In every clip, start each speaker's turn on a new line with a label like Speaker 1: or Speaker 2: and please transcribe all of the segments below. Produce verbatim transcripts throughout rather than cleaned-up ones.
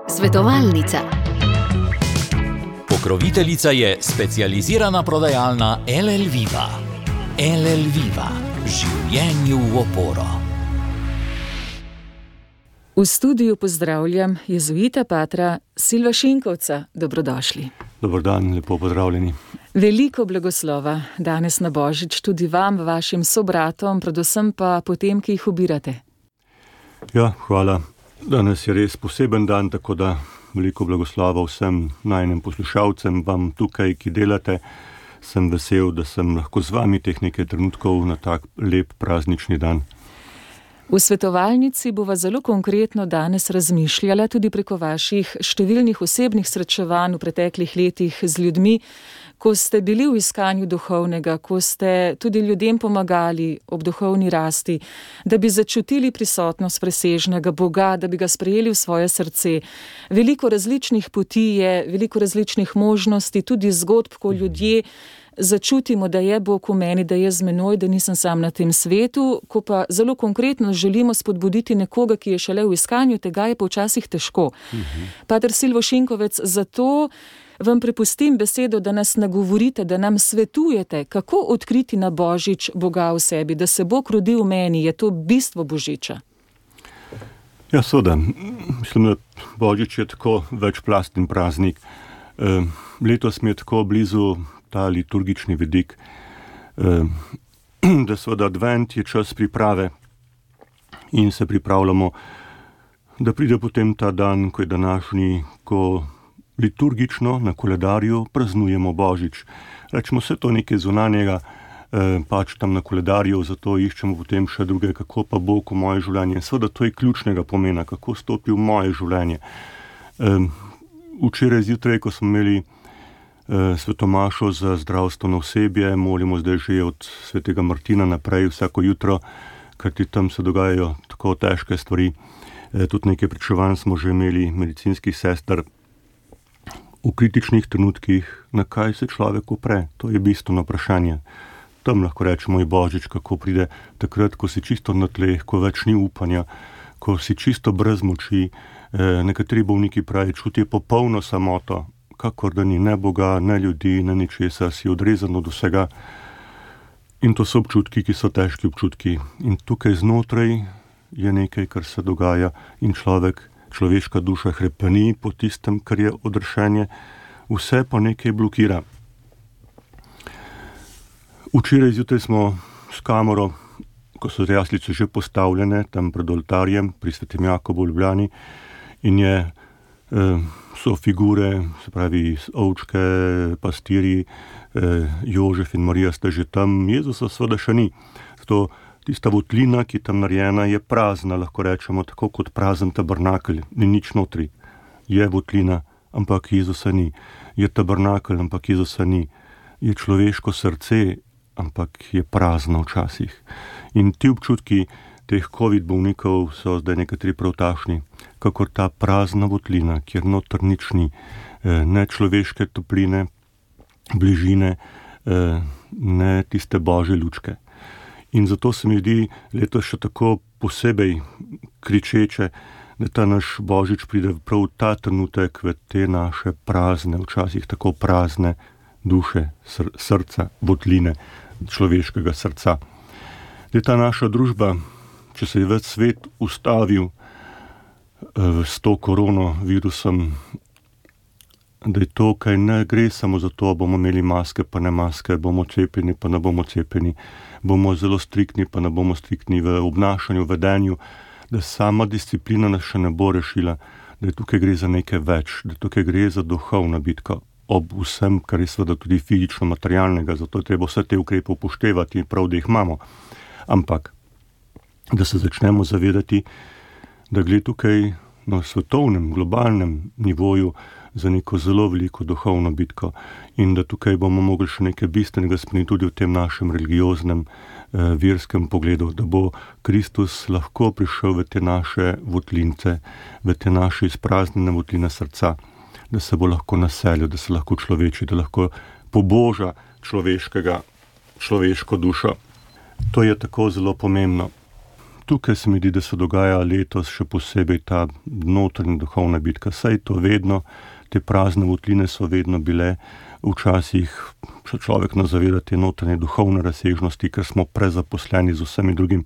Speaker 1: Svetovalnica.
Speaker 2: Pokroviteljica je specializirana prodajalna L L Viva. L L Viva. Življenju v oporo.
Speaker 3: V studiu pozdravljam jezuita patra Silva Šinkovca. Dobrodošli.
Speaker 4: Dober dan, lepo pozdravljeni.
Speaker 3: Veliko blagoslova danes na Božič tudi vam, vašim sobratom, predvsem pa potem, ki jih obirate.
Speaker 4: Ja, hvala. Danes je res poseben dan, tako da veliko blagoslova vsem najnim poslušalcem, vam tukaj, ki delate. Sem vesel, da sem lahko z vami teh nekaj trenutkov na tak lep praznični dan.
Speaker 3: V svetovalnici bova zelo konkretno danes razmišljala tudi preko vaših številnih osebnih srečevanj v preteklih letih z ljudmi, ko ste bili v iskanju duhovnega, ko ste tudi ljudem pomagali ob duhovni rasti, da bi začutili prisotnost presežnega Boga, da bi ga sprejeli v svoje srce. Veliko različnih poti je, veliko različnih možnosti, tudi zgodb, ko ljudje začutimo, da je Bog v meni, da je z menoj, da nisem sam na tem svetu, ko pa zelo konkretno želimo spodbuditi nekoga, ki je šele v iskanju, tega je pa včasih težko. Uh-huh. Pater Silvo Šinkovec, zato vam prepustim besedo, da nas nagovorite, da nam svetujete, kako odkriti na Božič Boga v sebi, da se Bog rodi v meni, je to bistvo Božiča.
Speaker 4: Ja, seveda. Mislim, da Božič je tako večplasten praznik. E, letos mi je tako blizu ta liturgični vidik, da seveda advent je čas priprave in se pripravljamo, da pride potem ta dan, ko je današnji, ko liturgično na koledarju praznujemo Božič. Rečemo, vse to nekaj zunanjega, pač tam na koledarju, zato iščemo potem še druge, kako pa Bog v moje življenje. Seveda to je ključnega pomena, kako stopi v moje življenje. Včeraj zjutraj, ko smo imeli svetomašo za zdravstveno osebje, molimo zdaj že od svetega Martina naprej vsako jutro, ker ti tam se dogajajo tako težke stvari. Tudi nekaj pričevanj smo že imeli medicinskih sester v kritičnih trenutkih, na kaj se človek upre. To je bistveno vprašanje. Tam lahko rečemo i Božič, kako pride takrat, ko si čisto na tleh, ko več ni upanja, ko si čisto brez moči. Nekateri bolniki pravi, čutijo popolno samoto, kakor da ni ne Boga, ne ljudi, ne ničesar, si odrezan od vsega. In to so občutki, ki so težki občutki. In tukaj znotraj je nekaj, kar se dogaja in človek, človeška duša hrepeni po tistem, kar je odrešenje, vse pa nekaj blokira. Včeraj zjutraj smo s kamero, ko so jaslice že postavljene, tam pred oltarjem, pri Svetem Jakobu v Ljubljani, in je so figure, se pravi ovčke, pastirji, Jožef in Marija sta že tam, Jezusa seveda še ni. Zato tista votlina, ki je tam narejena, je prazna, lahko rečemo, tako kot prazen tabernakelj, ni nič notri. Je votlina, ampak Jezusa ni. Je tabernakelj, ampak Jezusa ni. Je človeško srce, ampak je prazno včasih. In ti občutki teh COVID bolnikov so zdaj nekateri prav takšni, kakor ta prazna votlina, kjer noter nič ni, ne človeške topline, bližine, ne tiste božje lučke. In zato se mi zdi letos še tako posebej kričeče, da ta naš Božič pride prav ta trenutek v te naše prazne, včasih tako prazne duše, sr- srca, votline človeškega srca. Da ta naša družba, če se je več svet ustavil uh, s to koronavirusom, da je to, kaj ne gre samo za to, bomo imeli maske, pa ne maske, bomo cepeni, pa ne bomo cepeni, bomo zelo striktni, pa ne bomo striktni v obnašanju, vedenju, da sama disciplina nas še ne bo rešila, da je tukaj gre za nekaj več, da tukaj gre za duhovna bitka, ob vsem, kar je seveda tudi fizično materialnega, zato je treba vse te ukrepe upoštevati, prav, da jih imamo. Ampak da se začnemo zavedati, da gre tukaj na svetovnem, globalnem nivoju za neko zelo veliko duhovno bitko in da tukaj bomo mogli še nekaj bistvenega spremeniti tudi v tem našem religioznem, eh, verskem pogledu, da bo Kristus lahko prišel v te naše votlince, v te naše izpraznjene votline srca, da se bo lahko naselil, da se lahko človeči, da lahko poboža človeškega, človeško dušo. To je tako zelo pomembno. tukaj se mi zdi, da se dogaja letos še posebej ta notranja duhovna bitka. Saj to vedno, te prazne votline so vedno bile, včasih se človek ne zaveda te notranje duhovne razsežnosti, ker smo prezaposleni z vsemi drugim.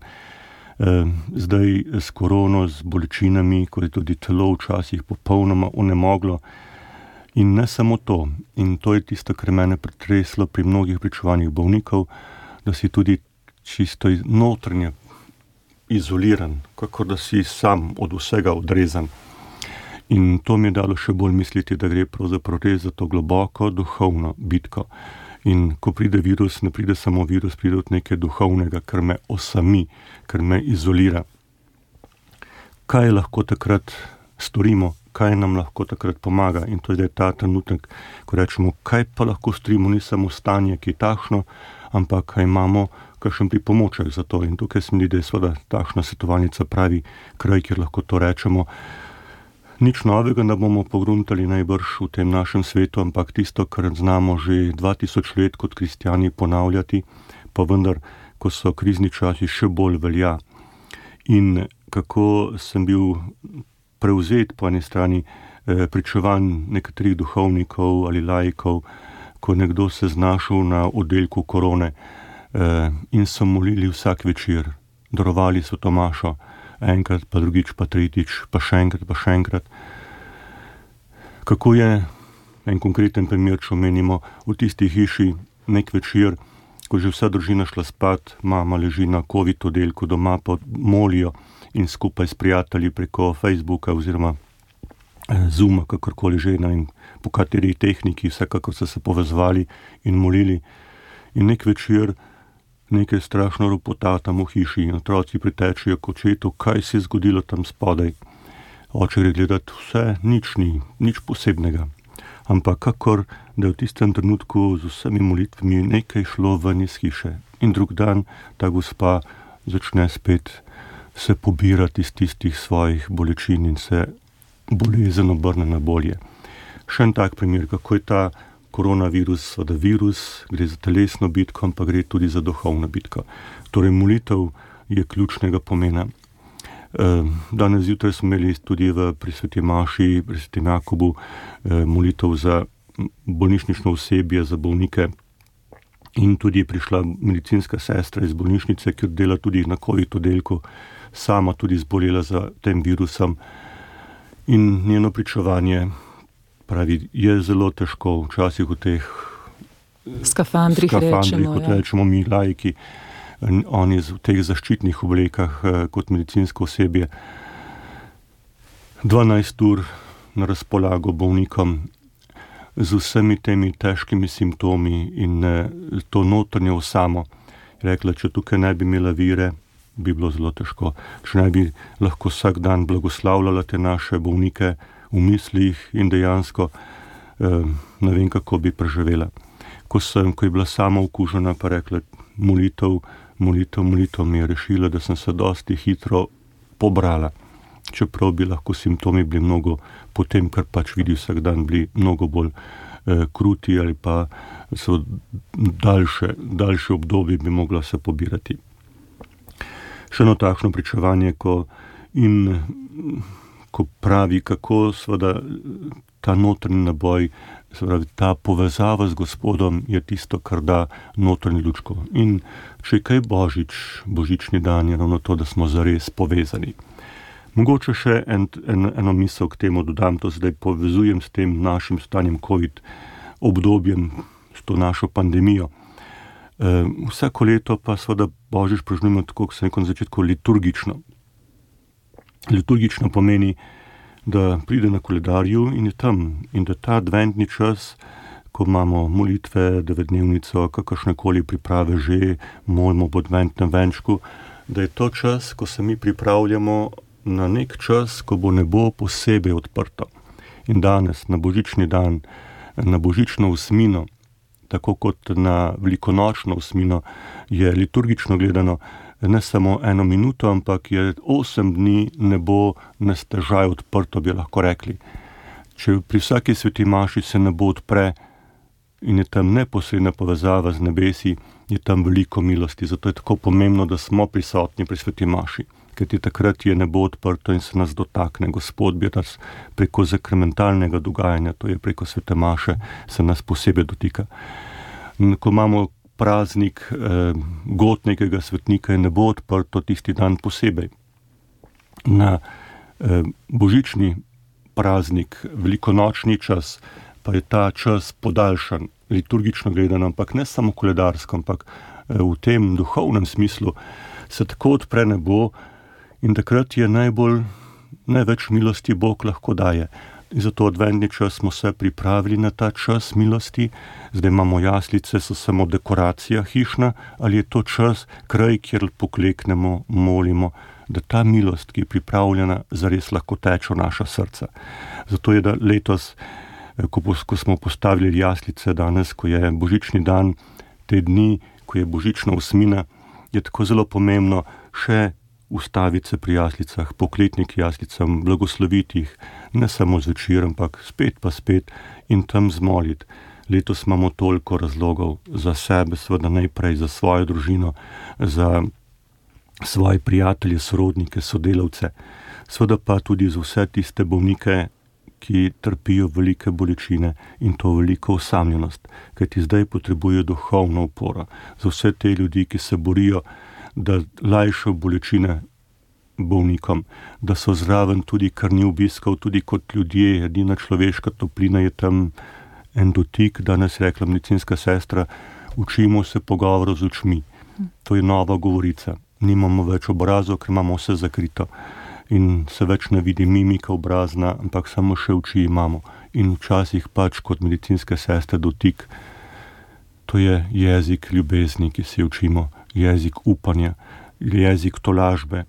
Speaker 4: E, zdaj s korono, z bolečinami, ko je tudi telo včasih popolnoma onemoglo. In ne samo to. In to je tisto, kar mene pretreslo pri mnogih pričevanjih bolnikov, da si tudi čisto notranje izoliran, kakor da si sam od vsega odrezan. In to mi je dalo še bolj misliti, da gre pravzaprav res za to globoko duhovno bitko. In ko pride virus, ne pride samo virus, pride od nekaj duhovnega, kar me osami, kar me izolira. Kaj lahko takrat storimo, kaj nam lahko takrat pomaga? In to je zdaj ta trenutek, ko rečemo, kaj pa lahko storimo, ni samo stanje, ki je takšno, ampak kaj imamo, kakšen pripomoček za to. In tukaj se mi zdi, da je seveda takšna svetovalnica pravi kraj, kjer lahko to rečemo. Nič novega ne bomo pogruntali najbrž v tem našem svetu, ampak tisto, kar znamo že dva tisoč let kot kristjani ponavljati, pa vendar, ko so krizni časi, še bolj velja. In kako sem bil prevzet po eni strani eh, pričevanj nekaterih duhovnikov ali laikov, ko nekdo se znašel na oddelku korone eh, in so molili vsak večer, darovali so Tomašo, enkrat, pa drugič, pa tretjič, pa še enkrat, pa še enkrat. Kako je, en konkreten primer, če omenimo, v tisti hiši nek večer, ko že vsa družina šla spat, mama leži na covid oddelku, doma pa molijo in skupaj s prijatelji preko Facebooka oziroma Zooma, kakorkoli že, in po kateri tehniki, vsekakor so se povezovali in molili. In nek večer nekaj strašno ropota tam v hiši in otroci pritečejo k očetu, kaj se je zgodilo tam spodaj. Oče gre gledati, vse, nič ni, nič posebnega. Ampak kakor, da je v tistem trenutku z vsemi molitvami nekaj šlo ven iz hiše. In drug dan ta gospa začne spet se pobirati iz tistih svojih bolečin in se bolezen obrne na bolje. Še en tak primer, kako je ta koronavirus, seveda virus, gre za telesno bitko, ampak gre tudi za duhovno bitko. Torej molitev je ključnega pomena. Danes zjutraj smo imeli tudi v pri sveti Maši, pri svetem Jakobu molitev za bolnišnično osebje, za bolnike. In tudi je prišla medicinska sestra iz bolnišnice, ki dela tudi na covid oddelku, sama tudi zbolela za tem virusom. In njeno pričevanje pravi, je zelo težko, včasih v teh
Speaker 3: skafandrih,
Speaker 4: skafandrih
Speaker 3: rečemo,
Speaker 4: kot
Speaker 3: ja.
Speaker 4: rečemo mi laiki, oni v teh zaščitnih oblekah kot medicinsko osebje, dvanajst ur na razpolago bolnikom z vsemi temi težkimi simptomi in to notranje osamo. Rekla, če tukaj ne bi imela vire, bi bilo zelo težko. Če ne bi lahko vsak dan blagoslavljala te naše bolnike v mislih in dejansko eh, ne vem, kako bi preživela. Ko sem, ko je bila sama okužena, pa rekla, molitev, molitev, molitev mi je rešila, da sem se dosti hitro pobrala. Čeprav bi lahko simptomi bili mnogo, potem, kar pač vidi vsak dan, bili mnogo bolj eh, kruti ali pa so daljše, daljše obdobje bi mogla se pobirati. Še eno takšno pričevanje, ko in ko pravi, kako seveda ta notranji naboj, seveda ta povezava z Gospodom je tisto, kar da notranji lučko. In če je kaj Božič, božični dan je ravno to, da smo zares povezani. Mogoče še en, en, eno misel k temu dodam, to zdaj povezujem s tem našim stanjem covid obdobjem, s to našo pandemijo. E, vsako leto pa seveda Božič praznujemo tako, kot sem rekel na začetku, liturgično. Liturgično pomeni, da pride na koledarju in je tam. In da ta adventni čas, ko imamo molitve, devetdnevnico, kakršnekoli priprave že, molimo po adventnem venčku, da je to čas, ko se mi pripravljamo na nek čas, ko bo nebo posebej odprto. In danes, na božični dan, na božično osmino, tako kot na velikonočno osmino, je liturgično gledano ne samo eno minuto, ampak je osem dni nebo nestežaj odprto, bi lahko rekli. Če pri vsaki sveti maši se nebo odpre in je tam neposredna povezava z nebesi, je tam veliko milosti. Zato je tako pomembno, da smo prisotni pri sveti maši. kajti takrat je nebo odprto in se nas dotakne. Gospod bi nas preko zakramentalnega dogajanja, to je preko svete maše, se nas posebej dotika. In ko imamo praznik eh, god nekega svetnika, je nebo odprto tisti dan posebej. Na eh, božični praznik, velikonočni čas, pa je ta čas podaljšan, liturgično gledano, ampak ne samo koledarsko, ampak eh, v tem duhovnem smislu se tako odpre nebo in takrat je najbolj, največ milosti Bog lahko daje. In zato adventni čas smo se pripravili na ta čas milosti, zdaj imamo jaslice, so samo dekoracija hišna, ali je to čas, kraj, kjer pokleknemo, molimo, da ta milost, ki je pripravljena, zares lahko teče v naša srca. Zato je da letos, ko, ko smo postavili jaslice danes, ko je božični dan, te dni, ko je božična osmina, je tako zelo pomembno še ustaviti se pri jaslicah, pokletniki jaslicam, blagosloviti jih, ne samo zvečer, ampak spet pa spet in tam zmoliti. Letos imamo toliko razlogov za sebe, seveda najprej za svojo družino, za svoje prijatelje, sorodnike, sodelavce, seveda pa tudi za vse tiste bolnike, ki trpijo velike bolečine in to veliko osamljenost, kajti zdaj potrebujejo duhovno oporo. Za vse te ljudi, ki se borijo, da lajšajo bolečine bolnikom, da so zraven tudi krvni obiskov, tudi kot ljudje, edina človeška toplina je tam en dotik, danes rekla medicinska sestra, učimo se pogovorov z očmi. To je nova govorica. Nimamo več obrazov, ker imamo vse zakrito. In se več ne vidi mimika obrazna, ampak samo še oči imamo. In včasih pač kot medicinske sestre dotik, to je jezik ljubezni, ki se učimo, jezik upanja, jezik tolažbe.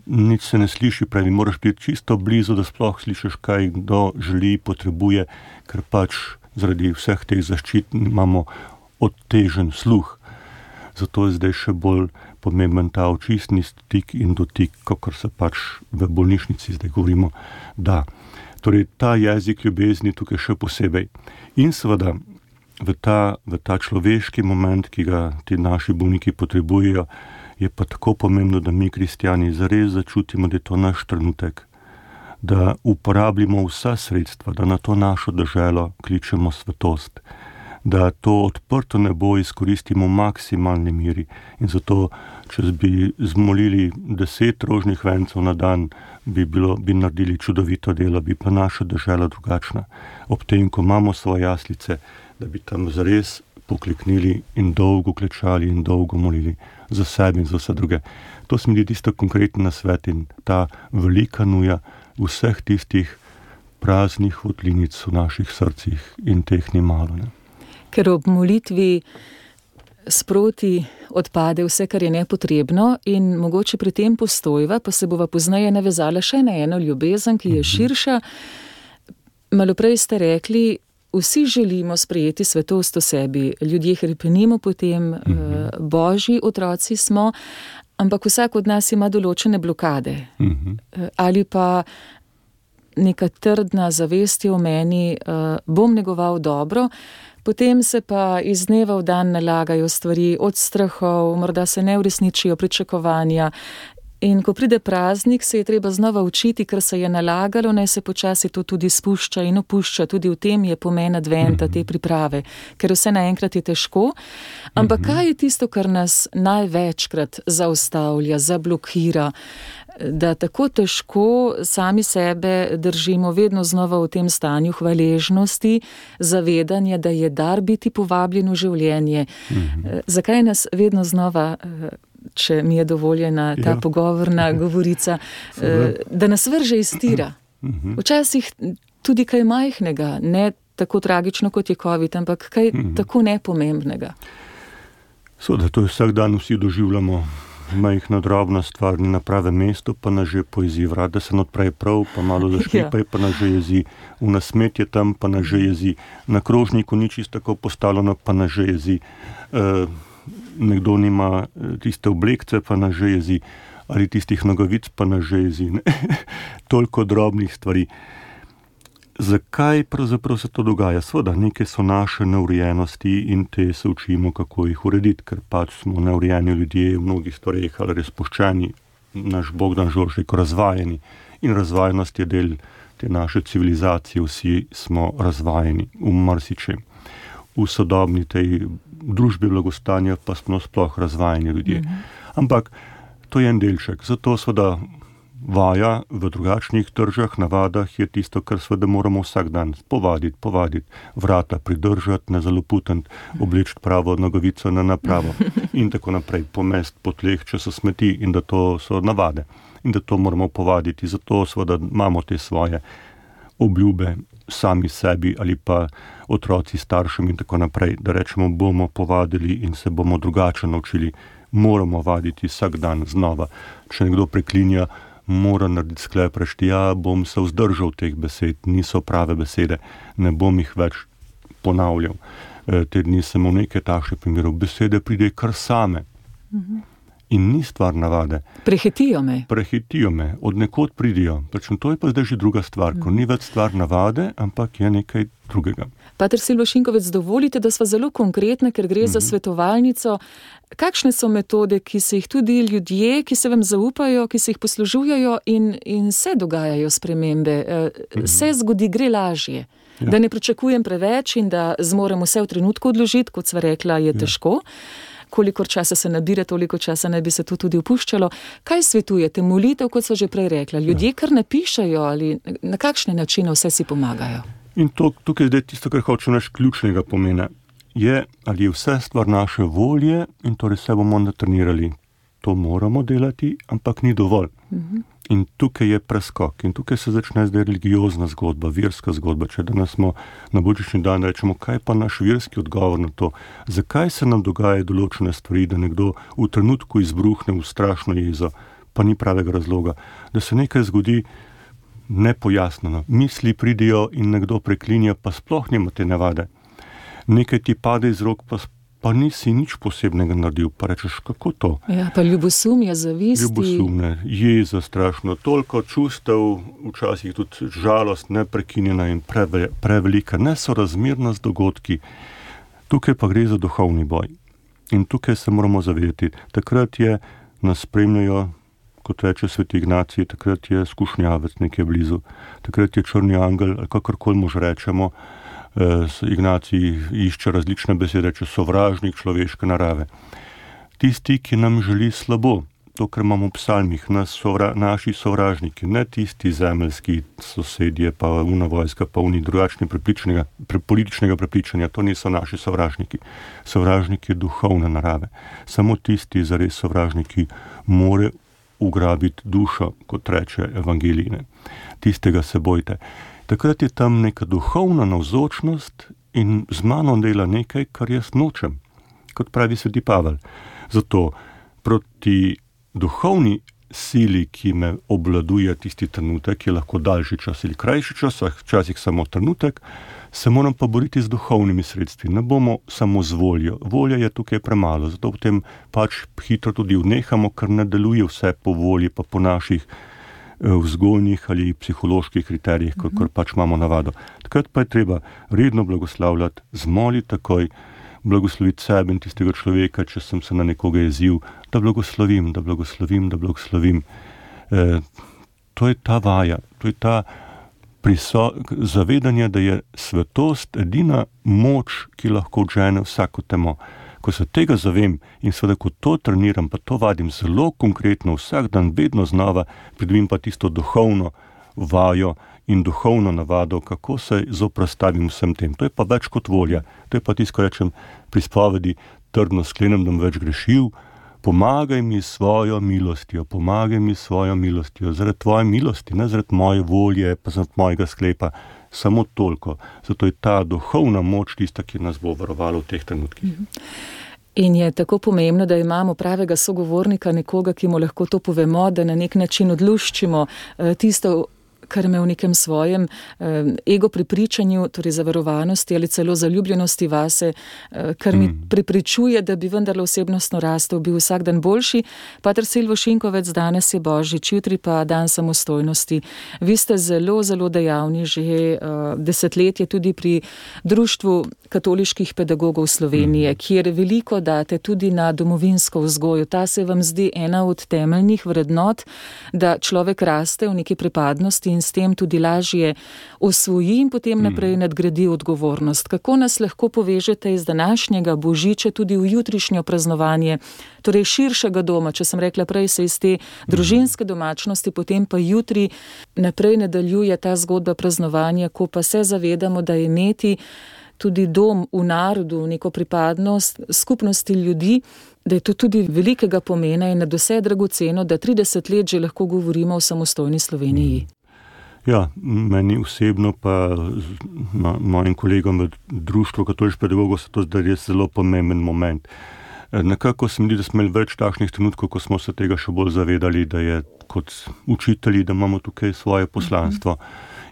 Speaker 4: Nič se ne sliši pravi, moraš biti čisto blizu, da sploh slišiš, kaj kdo želi, potrebuje, ker pač zaradi vseh teh zaščit imamo odtežen sluh. Zato je zdaj še bolj pomemben ta očistni stik in dotik, kakor se pač v bolnišnici zdaj govorimo, da. Torej, ta jezik ljubezni tukaj še posebej. In seveda, v ta, v ta človeški moment, ki ga ti naši bolniki potrebujejo, je pa tako pomembno, da mi, kristjani, zares začutimo, da je to naš trenutek, da uporabljamo vsa sredstva, da na to našo deželo kličemo svetost, da to odprto nebo izkoristimo v maksimalni miri in zato, če bi zmolili deset rožnih vencev na dan, bi, bilo, bi naredili čudovito delo, bi pa naša dežela drugačna. Ob tem, ko imamo svoje jaslice, da bi tam zares pokleknili in dolgo klečali in dolgo molili za sebe in za vse druge. To se mi zdi tisto konkreten nasvet in ta velika nuja vseh tistih praznih votlinic v naših srcih in teh ni malo, ne.
Speaker 3: Ker ob molitvi sproti odpade vse, kar je nepotrebno in mogoče pri tem postojva, pa se bova pozneje navezala še na eno ljubezen, ki je širša. Malo prej ste rekli, vsi želimo sprejeti svetost v sebi, ljudje hrepenimo po tem, uh-huh. božji otroci smo, ampak vsak od nas ima določene blokade. Uh-huh. Ali pa neka trdna zavest je v meni, uh, bom negoval dobro, potem se pa iz dneva v dan nalagajo stvari od strahov, morda se ne uresničijo pričakovanja. In ko pride praznik, se je treba znova učiti, ker se je nalagalo, naj se počasi to tudi spušča in opušča. Tudi v tem je pomen adventa, te priprave, ker vse naenkrat je težko. Ampak kaj je tisto, kar nas največkrat zaustavlja, zablokira, da tako težko sami sebe držimo vedno znova v tem stanju hvaležnosti, zavedanja, da je dar biti povabljen v življenje. Mhm. Zakaj nas vedno znova, če mi je dovoljena ta ja. pogovorna govorica, da nas vrže iz tira. Včasih tudi kaj majhnega, ne tako tragično kot je COVID, ampak kaj mm-hmm. tako nepomembnega.
Speaker 4: Seveda, to je vsak dan vsi doživljamo. Majhna drobna stvar ni na pravem mestu, pa nas že poezi vrat, da se odpre prav, pa malo zaškripa, ja. pa nas že jezi. V nasmetje tam, pa nas že jezi. Na krožniku ni čisto tako postavljeno, pa nas že jezi. E, nekdo nima tiste oblekce, pa nas že jezi. Ali tistih nogavic, pa nas že jezi. Toliko drobnih stvari. Zakaj pravzaprav se to dogaja? Sveda, neke so naše neurejenosti in te se učimo, kako jih urediti, ker pač smo neurejeni ljudje v mnogih stvareh ali razpuščeni, naš Bogdan Žorž rekel, razvajeni. In razvajenost je del te naše civilizacije, vsi smo razvajeni v marsičem. V sodobni tej družbi blagostanja pa smo sploh razvajeni ljudje. Mm-hmm. Ampak to je en delček. Zato seveda vaja v drugačnih držah, navadah je tisto, kar seveda moramo vsak dan povaditi, povaditi, vrata pridržati, ne zaloputati, obleči pravo nogavico na napravo in tako naprej, pomest po tleh, če so smeti, in da to so navade in da to moramo povaditi. Zato seveda imamo te svoje obljube sami sebi ali pa otroci staršem in tako naprej, da rečemo, bomo povadili in se bomo drugače naučili. Moramo vaditi vsak dan znova. Če nekdo preklinja, mora narediti sklep, reči, ja, bom se vzdržal teh besed, niso prave besede, ne bom jih več ponavljal. E, te dni sem v nekaj takšnih primerov, besede pride kar same. Mhm. In ni stvar navade.
Speaker 3: Prehitijo me.
Speaker 4: Prehitijo me, od nekod pridijo. Prečem, to je pa zdaj že druga stvar, ko ni več stvar navade, ampak je nekaj drugega.
Speaker 3: Pater Silvo Šinkovec, dovolite, da sva zelo konkretna, ker gre mm-hmm. za svetovalnico. Kakšne so metode, ki se jih tudi ljudje, ki se vam zaupajo, ki se jih poslužujejo in, in se dogajajo spremembe, mm-hmm. se zgodi, gre lažje. Ja. Da ne pričakujem preveč in da zmorem vse v trenutku odložiti, kot sva rekla, je ja. težko. Kolikor časa se nabira, toliko časa naj bi se to tudi upuščalo. Kaj svetujete? Molitev, kot so že prej rekla. Ljudje kar napišajo ali na kakšne načine vse si pomagajo?
Speaker 4: In to, tukaj je zdaj tisto, kar hoče naš ključnega pomena. Je, ali je vse stvar naše volje in torej se bomo natrenirali. To moramo delati, ampak ni dovolj. Uh-huh. In tukaj je preskok. In tukaj se začne zdaj religiozna zgodba, verska zgodba. Če danes smo na božični dan rečemo, kaj pa naš verski odgovor na to? Zakaj se nam dogaja določene stvari, da nekdo v trenutku izbruhne v strašno jezo, pa ni pravega razloga? Da se nekaj zgodi nepojasnjeno. Misli pridijo in nekdo preklinja, pa sploh nima te navade. Nekaj ti pade iz rok, pa pa nisi nič posebnega naredil, pa rečeš, kako to?
Speaker 3: Ja, pa ljubosumje, zavisti.
Speaker 4: Ljubosumne, jeza strašno, toliko čustev, včasih tudi žalost, neprekinjena in preve, prevelika, nesorazmerna z dogodki. Tukaj pa gre za duhovni boj. In tukaj se moramo zavedati. Takrat je, nas spremljajo, kot reče sveti Ignacij, takrat je skušnjavec nekje blizu, takrat je črni angel, ali kakorkoli mož rečemo. Ignacij išče različne besede, če sovražnik človeške narave. Tisti, ki nam želi slabo, to, kar imamo v psalmih, nas sovra, naši sovražniki, ne tisti zemeljski sosedje, pa una vojska, pa uni drugačni prepričanega, pre, političnega prepričanja, to niso naši sovražniki. Sovražniki je duhovne narave. Samo tisti, zares sovražniki, more ugrabiti dušo, kot reče evangeline. Tistega se bojte. Takrat je tam neka duhovna navzočnost in z mano dela nekaj, kar jaz nočem, kot pravi sveti Pavel. Zato proti duhovni sili, ki me obvladuje tisti trenutek, je lahko daljši čas ali krajši čas, včasih samo trenutek, se moram pa boriti z duhovnimi sredstvi. Ne bomo samo z voljo. Volja je tukaj premalo, zato potem pač hitro tudi vnehamo, ker ne deluje vse po volji, pa po naših vzgojnih ali psiholoških kriterijih, kot mm-hmm. pač imamo navado. Takrat pa je treba redno blagoslavljati, zmoliti takoj, blagosloviti sebe in tistega človeka, če sem se na nekoga jezil, da blagoslovim, da blagoslovim, da blagoslovim. E, to je ta vaja, to je ta priso- zavedanje, da je svetost edina moč, ki lahko odžene vsako temo. Ko se tega zavem in seveda, ko to treniram, pa to vadim zelo konkretno, vsak dan, vedno znova, pridobim pa tisto duhovno vajo in duhovno navado, kako se zoprastavim vsem tem. To je pa več kot volja. To je pa tisto, ko rečem pri spovedi, trdno sklenem, da bom več grešil, pomagaj mi svojo milostjo, pomagaj mi svojo milostjo, zaradi tvoje milosti, ne zaradi moje volje, pa zaradi mojega sklepa. Samo toliko. Zato je ta duhovna moč tista, ki nas bo varovala v teh trenutkih.
Speaker 3: In je tako pomembno, da imamo pravega sogovornika, nekoga, ki mu lahko to povemo, da na nek način odluščimo tisto, kar me v nekem svojem eh, ego prepričanju, torej zavarovanosti ali celo zaljubljenosti vase, eh, kar mi mm. prepričuje, da bi vendarle osebnostno rastel, bil vsak dan boljši. Pater Silvo Šinkovec, danes je Božič, jutri pa dan samostojnosti. Vi ste zelo, zelo dejavni že uh, desetletje tudi pri Društvu katoliških pedagogov Slovenije, mm. kjer veliko date tudi na domovinsko vzgojo. Ta se vam zdi ena od temeljnih vrednot, da človek raste v neki pripadnosti in s tem tudi lažje osvoji in potem naprej nadgradi odgovornost. Kako nas lahko povežete iz današnjega Božiča tudi v jutrišnjo praznovanje, torej širšega doma, če sem rekla prej, se iz te družinske domačnosti, potem pa jutri naprej nadaljuje ta zgodba praznovanja, ko pa se zavedamo, da je imeti tudi dom v narodu, neko pripadnost skupnosti ljudi, da je to tudi velikega pomena in nadvse dragoceno, da trideset let že lahko govorimo o samostojni Sloveniji.
Speaker 4: Ja, meni osebno pa mojim kolegom v Društvu katoliških pedagogov se to zdaj res zelo pomemben moment. Nekako se mi zdi, da smo imeli več takšnih trenutkov, ko smo se tega še bolj zavedali, da je kot učitelji, da imamo tukaj svoje poslanstvo.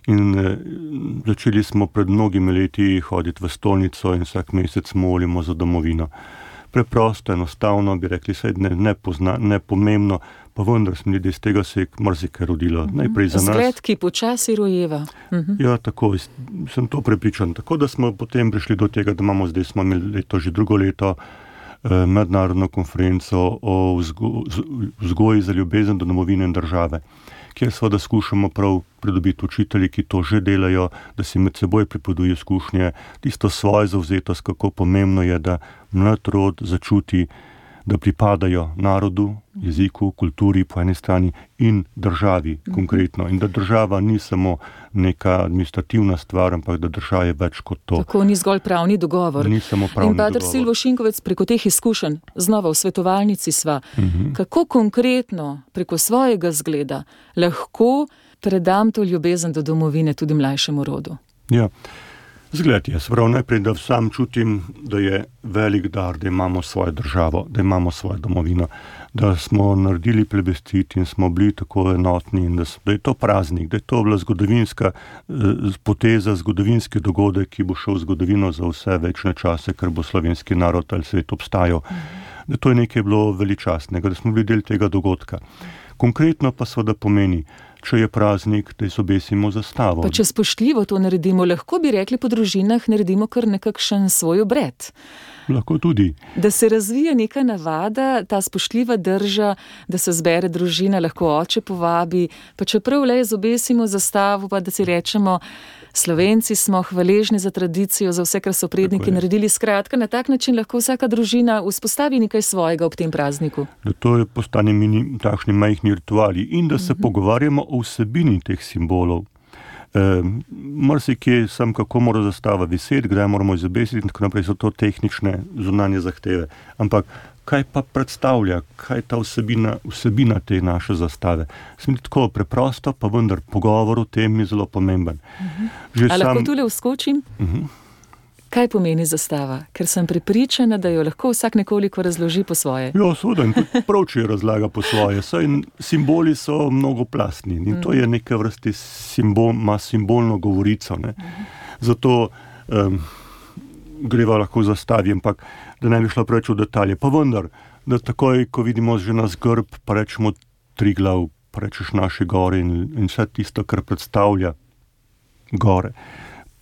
Speaker 4: In eh, začeli smo pred mnogimi leti hoditi v stolnico in vsak mesec molimo za domovino. Preprosto, enostavno bi rekli, saj ne, ne, pozna, ne pomembno, pa vendar smo ljudje, iz tega se je marsikaj rodilo. Najprej za nas.
Speaker 3: Zgled, ki počasi rojeva. Uh-huh.
Speaker 4: Ja, tako, sem to prepričan. Tako da smo potem prišli do tega, da imamo zdaj, smo imeli leto, že drugo leto, eh, mednarodno konferenco o vzgo, vzgoji za ljubezen do domovine in države, kjer seveda skušamo prav pridobiti učitelji, ki to že delajo, da si med seboj pripovedujejo izkušnje, tisto svojo zavzetost, kako pomembno je, da mlad rod začuti, da pripadajo narodu, jeziku, kulturi po eni strani in državi konkretno. In da država ni samo neka administrativna stvar, ampak da država je več kot to.
Speaker 3: Tako ni zgolj pravni dogovor.
Speaker 4: Ni samo pravni
Speaker 3: in Pater
Speaker 4: dogovor.
Speaker 3: Silvo Šinkovec, preko teh izkušenj, znova v svetovalnici sva, uh-huh. kako konkretno preko svojega zgleda lahko predam to ljubezen do domovine tudi mlajšemu rodu?
Speaker 4: Ja. Zgled je, sprav najprej, da sam čutim, da je velik dar, da imamo svojo državo, da imamo svojo domovino, da smo naredili plebiscit in smo bili tako enotni in da, da je to praznik, da je to bila zgodovinska eh, poteza, zgodovinski dogodek, ki bo šel v zgodovino za vse večne čase, ker bo slovenski narod ali svet obstajal. Da to je nekaj bilo veličastnega, da smo bili del tega dogodka. Konkretno pa seveda pomeni, če je praznik, da izobesimo zastavo.
Speaker 3: Pa če spoštljivo to naredimo, lahko bi rekli po družinah, naredimo kar nekakšen svoj obred.
Speaker 4: Lahko tudi.
Speaker 3: Da se razvija neka navada, ta spoštljiva drža, da se zbere družina, lahko oče povabi, pa čeprav le izobesimo zastavo, pa da si rečemo, Slovenci smo hvaležni za tradicijo, za vse, kar so predniki naredili. Skratka, na tak način lahko vsaka družina vzpostavi nekaj svojega ob tem prazniku.
Speaker 4: Da to je postane mini, takšni majhni rituali in da se uh-huh. pogovarjamo o vsebini teh simbolov. E, marsikje sem, kako mora zastava viseti, kdaj moramo izobesiti in tako naprej, so to tehnične zunanje zahteve. Ampak kaj pa predstavlja, kaj ta vsebina, vsebina te naše zastave? Sem tako preprosto, pa vendar pogovor o tem je zelo pomemben.
Speaker 3: Uh-huh. A sam... lahko tule vskočim?
Speaker 4: Uh-huh.
Speaker 3: Kaj pomeni zastava? Ker sem prepričana, da jo lahko vsak nekoliko razloži po svoje.
Speaker 4: Ja, seveda, in tudi prav, če jo razlaga po svoje. Saj simboli so mnogoplastni in to je neke vrste simbol, ima simbolno govorico. Ne. Zato um, greva lahko v zastavi, ampak da ne bi šla preveč v detalje. Pa vendar, da takoj, ko vidimo že nas grb, pa rečemo Triglav, pa rečeš naše gore in, in vse tisto, kar predstavlja gore.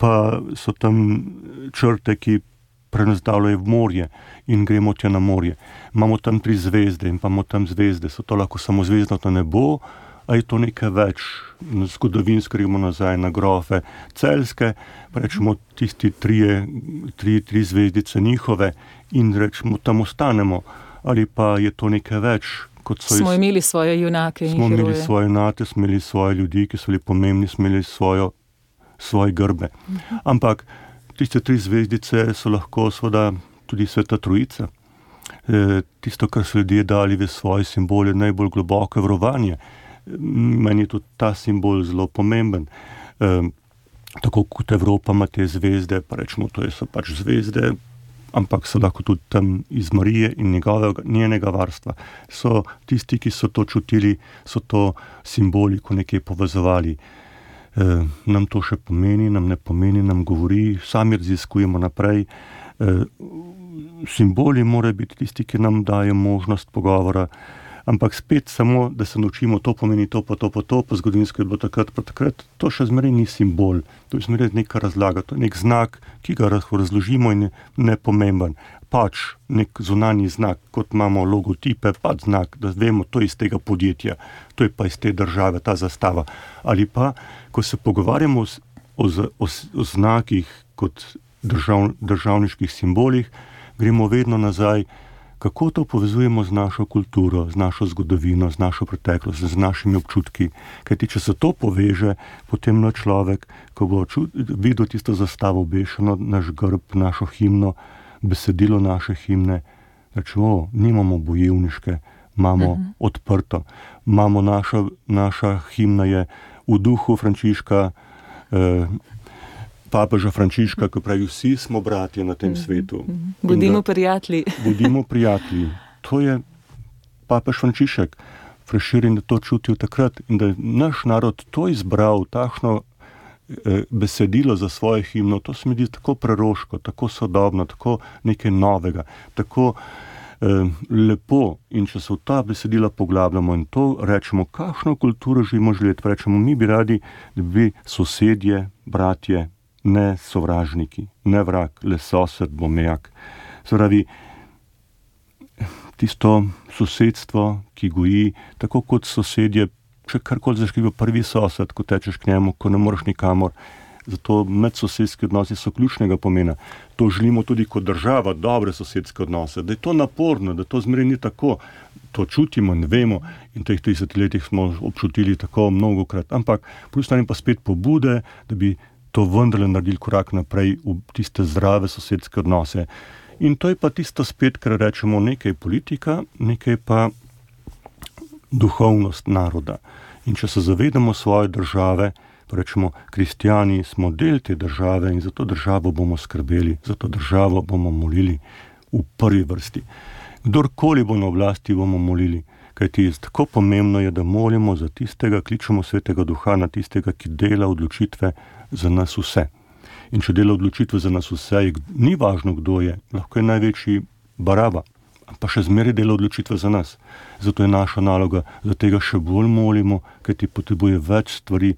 Speaker 4: Pa so tam črte, ki prenazdavljajo v morje in gremo tja na morje. Imamo tam tri zvezde in pa imamo tam zvezde. So to lahko samo zvezdnato nebo, a je to nekaj več. Zgodovinsko gremo nazaj na grofe Celjske, pa rečemo tisti trije, tri, tri zvezdice njihove in rečemo tam ostanemo. Ali pa je to nekaj več. Kot so
Speaker 3: smo iz... imeli svoje junake in
Speaker 4: smo
Speaker 3: heroje.
Speaker 4: Smo imeli svoje junake, smo imeli svoje ljudi, ki so bili pomembni, smo imeli svojo svoje grbe. Ampak tiste tri zvezdice so lahko seveda tudi Sveta Trojica. E, tisto, kar so ljudje dali v svoje simbole, najbolj globoko verovanje. Meni je tudi ta simbol zelo pomemben. E, tako kot Evropa ima te zvezde, pa rečemo, to so pač zvezde, ampak so lahko tudi tam iz Marije in njegovega, njenega varstva. So tisti, ki so to čutili, so to simboli, ko nekaj povezovali. eh, nam to še pomeni, nam ne pomeni, nam govori, sami raziskujemo naprej. Eh, simboli morajo biti tisti, ki nam dajo možnost pogovora, ampak spet samo, da se naučimo, to pomeni to, pa to, pa to, pa zgodovinsko je bilo takrat, pa takrat, to še zmeraj ni simbol, to je zmeraj neka razlaga, to je nek znak, ki ga razložimo in je nepomemben. Pač nek zunanji znak, kot imamo logotipe, pač znak, da vemo, to je iz tega podjetja, to je pa iz te države, ta zastava. Ali pa, ko se pogovarjamo o, o, o, o znakih kot držav, državniških simbolih, gremo vedno nazaj, kako to povezujemo z našo kulturo, z našo zgodovino, z našo preteklost, z našimi občutki. Kajti, če se to poveže, potem na človek, ko bo čut, videl tisto zastavo obešeno, naš grb, našo himno, besedilo naše himne, rečemo, nimamo bojevniške, imamo uh-huh. odprto. Imamo naša, naša himna je v duhu Frančiška, eh, papeža Frančiška, ko pravi, vsi smo bratje na tem svetu.
Speaker 3: Bodimo prijatelji.
Speaker 4: Bodimo prijatelji. To je papež Frančišek. Prešeren, da to čutil takrat in da je naš narod to izbral, takšno eh, besedilo za svoje himno, to se mi zdi tako preroško, tako sodobno, tako nekaj novega, tako eh, lepo. In če se v ta besedila poglabljamo in to rečemo, kakšno kulturo želimo živeti, rečemo, mi bi radi, da bi sosedje, bratje, ne sovražniki, ne vrag, le sosed bo mejak. Spravi, tisto sosedstvo, ki goji, tako kot sosedje, če karkoli zaškiva prvi sosed, ko tečeš k njemu, ko ne moreš nikamor. Zato medsosedski odnosi so ključnega pomena. To želimo tudi kot država, dobre sosedske odnose. Da je to naporno, da to zmeraj ni tako. To čutimo in vemo in v teh tridesetih letih smo občutili tako mnogokrat. Ampak po strani pa spet pobude, da bi to vendarle naredili korak naprej v tiste zdrave sosedske odnose. In to je pa tisto spet, kar rečemo, nekaj politika, nekaj pa duhovnost naroda. In če se zavedamo svoje države, pa rečemo, kristijani smo del te države in za to državo bomo skrbeli, za to državo bomo molili v prvi vrsti. Kdorkoli bo na oblasti, bomo molili. Kajti tako pomembno je, da molimo za tistega, kličemo svetega duha na tistega, ki dela odločitve za nas vse. In če dela odločitve za nas vse, ni važno, kdo je, lahko je največji baraba, pa še zmeraj dela odločitve za nas. Zato je naša naloga, da tega še bolj molimo, kajti potrebuje več stvari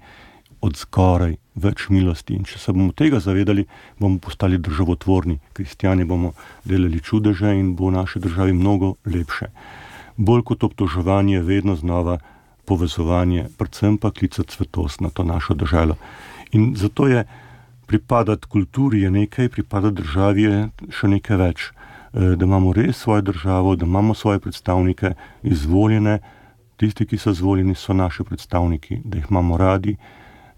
Speaker 4: od zgoraj, več milosti. In če se bomo tega zavedali, bomo postali državotvorni. Kristijani bomo delali čudeže in bo v naši državi mnogo lepše. Bolj kot obtoževanje, vedno znova povezovanje, predvsem pa klicati svetost na to našo državo. In zato je pripadati kulturi je nekaj, pripadati državi je še nekaj več. Da imamo res svojo državo, da imamo svoje predstavnike izvoljene, tisti, ki so izvoljeni, so naši predstavniki, da jih imamo radi,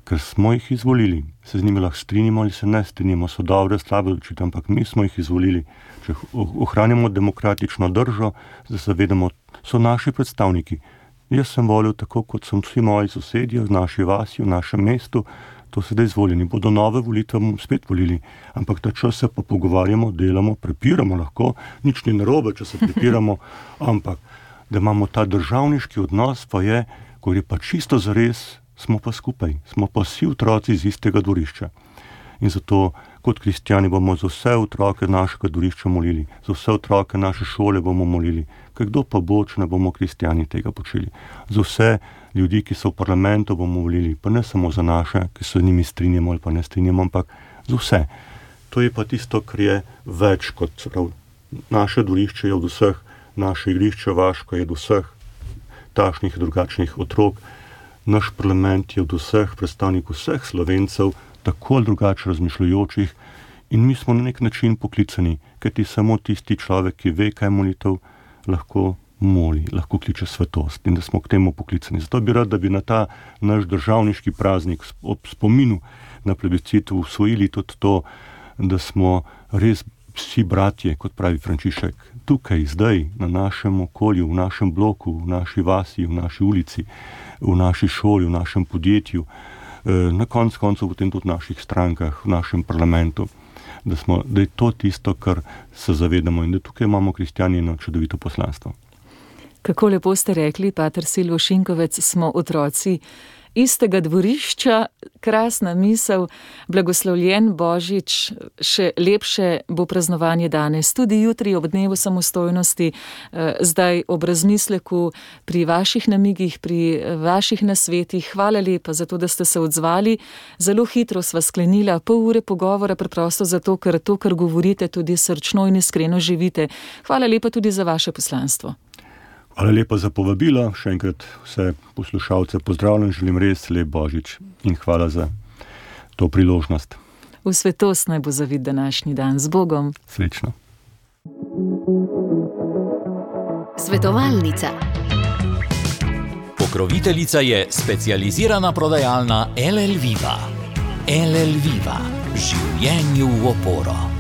Speaker 4: ker smo jih izvolili. Se z njimi lahko strinjamo ali se ne strinjamo, so dobre, slabe odločitve, ampak mi smo jih izvolili. Če ohranjamo demokratično držo, da se zavedamo, so naši predstavniki. Jaz sem volil tako, kot sem vsi moji sosedje v naši vasi, v našem mestu, to sedaj izvoljeni. Bodo nove volitve, bomo spet volili. Ampak ta čas se pa pogovarjamo, delamo, prepiramo lahko, nič ni narobe, če se prepiramo, ampak da imamo ta državniški odnos, pa je, ko je pa čisto zares, smo pa skupaj, smo pa vsi otroci iz istega dvorišča. In zato kot kristijani bomo za vse otroke našega dvorišča molili, za vse otroke naše šole bomo molili, ker kdo pa bo, če ne bomo kristijani tega počeli. Za vse ljudi, ki so v parlamentu, bomo molili, pa ne samo za naše, ki se z njimi strinjamo ali pa ne strinjamo, ampak za vse. To je pa tisto, kar je več kot prav. Naše dvorišče je od vseh, naše igrišče Vaško je od vseh takšnih drugačnih otrok, naš parlament je od vseh predstavnikov vseh Slovencev, tako ali drugače razmišljajočih, in mi smo na nek način poklicani, kajti samo tisti človek, ki ve, kaj molitev, lahko moli, lahko kliče svetost in da smo k temu poklicani. Zato bi rad, da bi na ta naš državniški praznik ob spominu na plebiscit usvojili tudi to, da smo res vsi bratje, kot pravi Frančišek, tukaj, zdaj, na našem okolju, v našem bloku, v naši vasi, v naši ulici, v naši šoli, v našem podjetju, na konc koncu potem tudi v naših strankah, v našem parlamentu, da, smo, da je to tisto, kar se zavedamo in da tukaj imamo kristijani eno čudovito poslanstvo.
Speaker 3: Kako lepo ste rekli, pater Silvo Šinkovec, smo otroci istega dvorišča, krasna misel, blagoslovljen Božič, še lepše bo praznovanje danes, tudi jutri ob dnevu samostojnosti, zdaj ob razmisleku pri vaših namigih, pri vaših nasvetih. Hvala lepa za to, da ste se odzvali. Zelo hitro sva sklenila, pol ure pogovora, preprosto zato, ker to, kar govorite, tudi srčno in iskreno živite. Hvala lepa tudi za vaše poslanstvo.
Speaker 4: Hvala lepa za povabilo, še enkrat vse poslušalce pozdravljam, želim res lep Božič in hvala za to priložnost.
Speaker 3: V svetost naj bo zavit današnji dan. Z Bogom.
Speaker 4: Srečno.
Speaker 2: Svetovalnica. Pokroviteljica je specializirana prodajalna L L Viva. L L Viva. Življenju v oporo.